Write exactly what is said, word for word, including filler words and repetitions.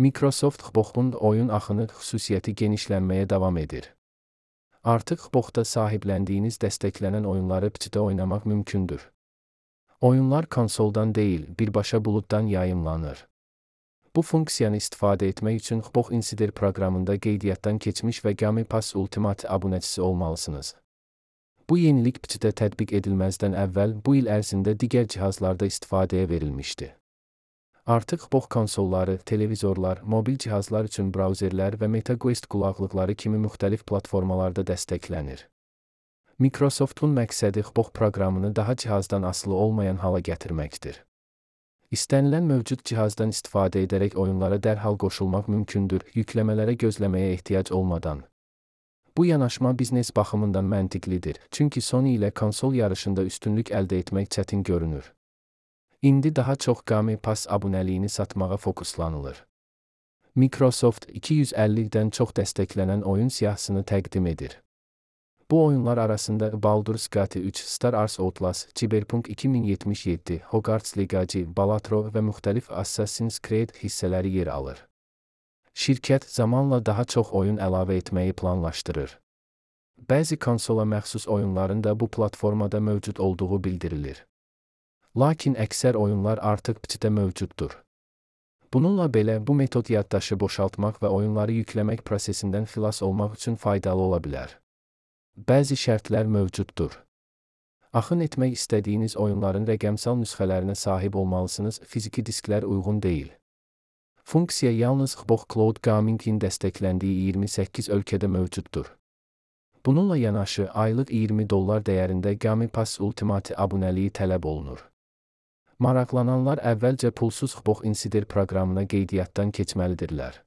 Microsoft Xbox'un oyun axını xüsusiyyəti genişlənməyə davam edir. Artıq Xbox'da sahibləndiyiniz dəstəklənən oyunları P C'də oynamaq mümkündür. Oyunlar konsoldan deyil, birbaşa buluddan yayımlanır. Bu funksiyanı istifadə etmək üçün Xbox Insider proqramında qeydiyyatdan keçmiş və Game Pass Ultimate abunəçisi olmalısınız. Bu yenilik P C'də tətbiq edilməzdən əvvəl bu il ərzində digər cihazlarda istifadəyə verilmişdi. Artıq Xbox konsolları, televizorlar, mobil cihazlar üçün brauzerlər və MetaQuest qulaqlıqları kimi müxtəlif platformalarda dəstəklənir. Microsoft'un məqsədi Xbox proqramını daha cihazdan asılı olmayan hala gətirməkdir. İstənilən mövcud cihazdan istifadə edərək oyunlara dərhal qoşulmaq mümkündür, yükləmələrə gözləməyə ehtiyac olmadan. Bu yanaşma biznes baxımından məntiqlidir, çünki Sony ilə konsol yarışında üstünlük əldə etmək çətin görünür. İndi daha çox Game Pass abunəliyini satmağa fokuslanılır. Microsoft iki yüz əllidən çox dəstəklənən oyun siyahısını təqdim edir. Bu oyunlar arasında Baldur's Gate üç, Star Wars Outlast, Cyberpunk iki min yetmiş yeddi, Hogwarts Legacy, Balatro və müxtəlif Assassin's Creed hissələri yer alır. Şirkət zamanla daha çox oyun əlavə etməyi planlaşdırır. Bəzi konsola məxsus oyunların da bu platformada mövcud olduğu bildirilir. Lakin əksər oyunlar artıq P C'də mövcuddur. Bununla belə bu metod yaddaşı boşaltmaq və oyunları yükləmək prosesindən xilas olmaq üçün faydalı ola bilər. Bəzi şərtlər mövcuddur. Axın etmək istədiyiniz oyunların rəqəmsal nüsxələrinə sahib olmalısınız, fiziki disklər uyğun deyil. Funksiya yalnız Xbox Cloud Gaming-in dəstəkləndiyi iyirmi səkkiz ölkədə mövcuddur. Bununla yanaşı aylıq iyirmi dollar dəyərində Game Pass Ultimate abunəliyi tələb olunur. Maraqlananlar əvvəlcə pulsuz Xbox Insider proqramına qeydiyyatdan keçməlidirlər.